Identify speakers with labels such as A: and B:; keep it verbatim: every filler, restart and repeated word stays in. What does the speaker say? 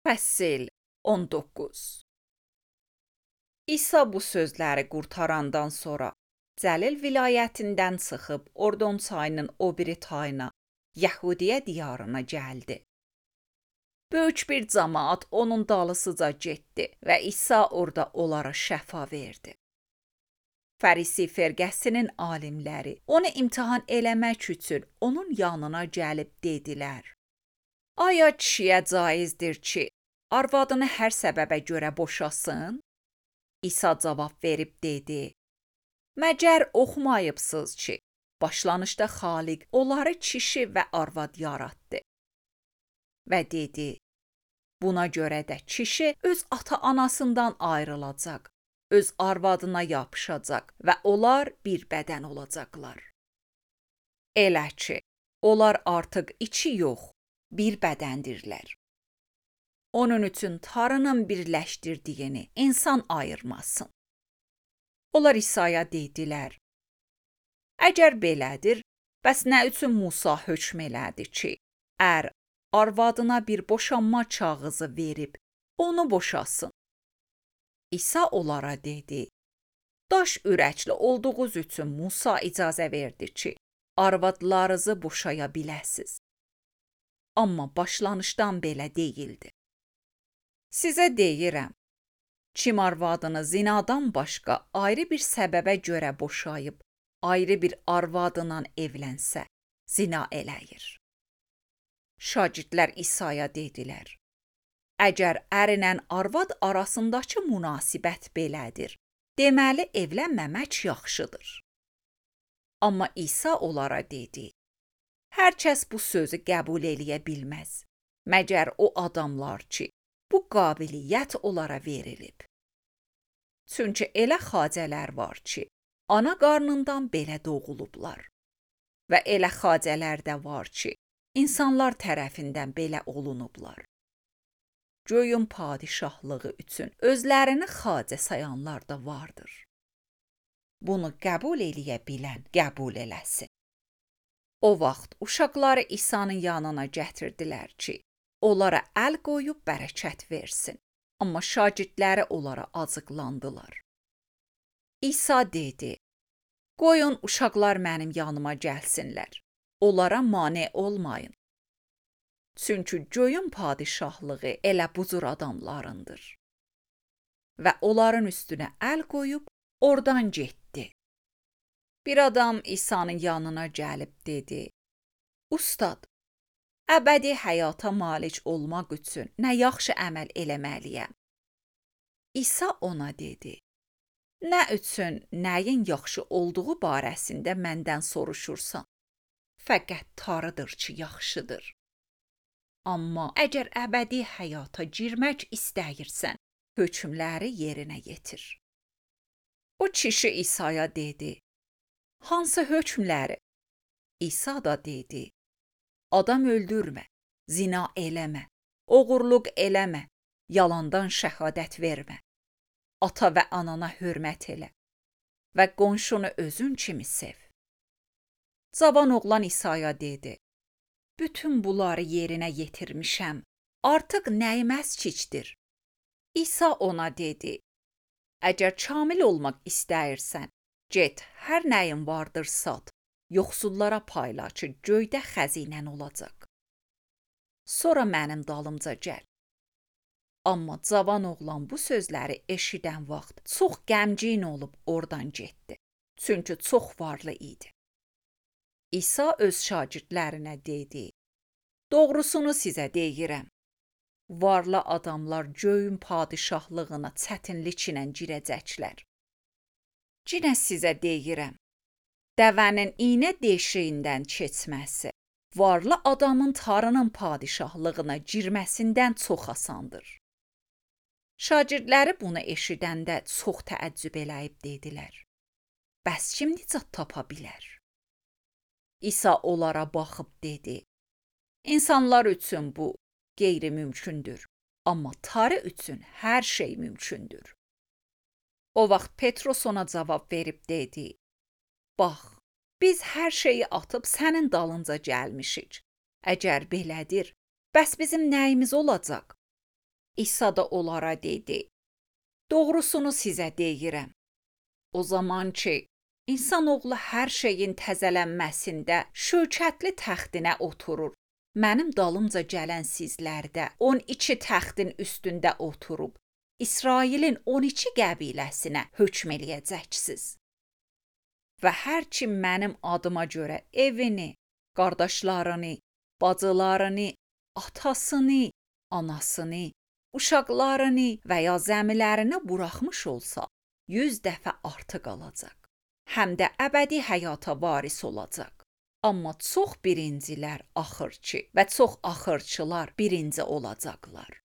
A: Fəsil on doqquz. İsa bu sözləri qurtarandan sonra Cəlil vilayətindən çıxıb Ordon çayının o biri tayına, Yəhudiyə diyarına gəldi. Böyük bir camaat onun dalısıca getdi və İsa orada onlara şəfa verdi. Fərisi firqəsinin alimləri onu imtahan eləmək üçün onun yanına gəlib dedilər: Aya kişiyə caizdir ki, arvadını hər səbəbə görə boşasın? İsa cavab verib dedi: Məgər oxumayıbsınız ki, başlanışda Xaliq onları kişi və arvad yaratdı. Və dedi: Buna görə də kişi öz ata-anasından ayrılacaq, öz arvadına yapışacaq və onlar bir bədən olacaqlar. Elə ki, onlar artıq iki yox, bir bədəndirlər. Onun üçün Tanrının birləşdirdiyini insan ayırmasın. Onlar İsa'ya dedilər: Əgər belədir, bəs nə üçün Musa hökm elədi ki, ər arvadına bir boşanma kağızı verib onu boşasın? İsa onlara dedi: Daş ürəkli olduğunuz üçün Musa icazə verdi ki, arvadlarınızı boşaya biləsiz. Amma başlanışdan belə deyildi. Sizə deyirəm, kim arvadını zinadan başqa ayrı bir səbəbə görə boşayıb, ayrı bir arvadla evlənsə, zina eləyir. Şagirdlər İsa'ya dedilər: Əgər ərlə arvad arasındakı münasibət belədir, deməli evlənməmək yaxşıdır. Amma İsa onlara dedi: Hər kəs bu sözü qəbul eləyə bilməz, məgər o adamlar ki, bu qabiliyyət onlara verilib. Çünki elə xacələr var ki, ana qarnından belə doğulublar. Və elə xacələr də var ki, insanlar tərəfindən belə olunublar. Göyün padişahlığı üçün özlərini xacə sayanlar da vardır. Bunu qəbul eləyə bilən qəbul eləsin. O vaxt uşaqları İsa'nın yanına gətirdilər ki, onlara əl qoyub bərəkət versin. Amma şagirdləri onlara acıqlandılar. İsa dedi: Qoyun uşaqlar mənim yanıma gəlsinlər. Onlara mane olmayın. Çünki göyün padişahlığı elə bu cür adamlarındır. Və onların üstünə əl qoyub oradan getdi. Bir adam İsa'nın yanına gəlib dedi: Ustad, əbədi həyata malik olmaq üçün nə yaxşı əməl eləməliyəm? İsa ona dedi: Nə üçün nəyin yaxşı olduğu barəsində məndən soruşursan? Fəqət Tanrıdır ki, yaxşıdır. Amma əgər əbədi həyata girmək istəyirsən, hökmləri yerinə yetir. O kişi İsa'ya dedi: Hansı hökmləri? İsa da dedi: Adam öldürmə, zina eləmə, oğurluq eləmə, yalandan şəhadət vermə, ata və anana hörmət elə və qonşunu özün kimi sev. Cavan oğlan İsa'ya dedi: Bütün bunları yerinə yetirmişəm, artıq nəyim əskikdir? İsa ona dedi: Əgər kamil olmaq istəyirsən, get, hər nəyin vardır sat, yoxsullara payla ki, göydə xəzinən olacaq. Sonra mənim dalımca gəl. Amma cavan oğlan bu sözləri eşidən vaxt çox qəmgin olub oradan getdi. Çünki çox varlı idi. İsa öz şagirdlərinə dedi: Doğrusunu sizə deyirəm. Varlı adamlar göyün padişahlığına çətinliklə girəcəklər. Yenə sizə deyirəm, dəvənin iynə deşiyindən keçməsi, varlı adamın Tanrının padişahlığına girməsindən çox asandır. Şagirdləri bunu eşidəndə çox təəccüb eləyib dedilər: Bəs kim nicat tapa bilər? İsa onlara baxıb dedi: İnsanlar üçün bu qeyri-mümkündür, amma Tanrı üçün hər şey mümkündür. O vaxt Petrus ona cavab verib dedi: Bax, biz hər şeyi atıb sənin dalınca gəlmişik. Əgər belədir, bəs bizim nəyimiz olacaq? İsa da onlara dedi: "Doğrusunu sizə deyirəm. O zaman ki, insanoğlu hər şeyin təzələnməsində şökətli təxtinə oturur, mənim dalımca gələn sizlər də on iki təxtin üstündə oturub, İsrailin on iki qəbiləsinə hökm eləyəcəksiniz. Və hər kim mənim adıma görə evini, qardaşlarını, bacılarını, atasını, anasını, uşaqlarını və ya zəmilərini buraxmış olsa, yüz dəfə artıq alacaq. Həm də əbədi həyata varis olacaq. Amma çox birincilər axırçı və çox axırçılar birinci olacaqlar."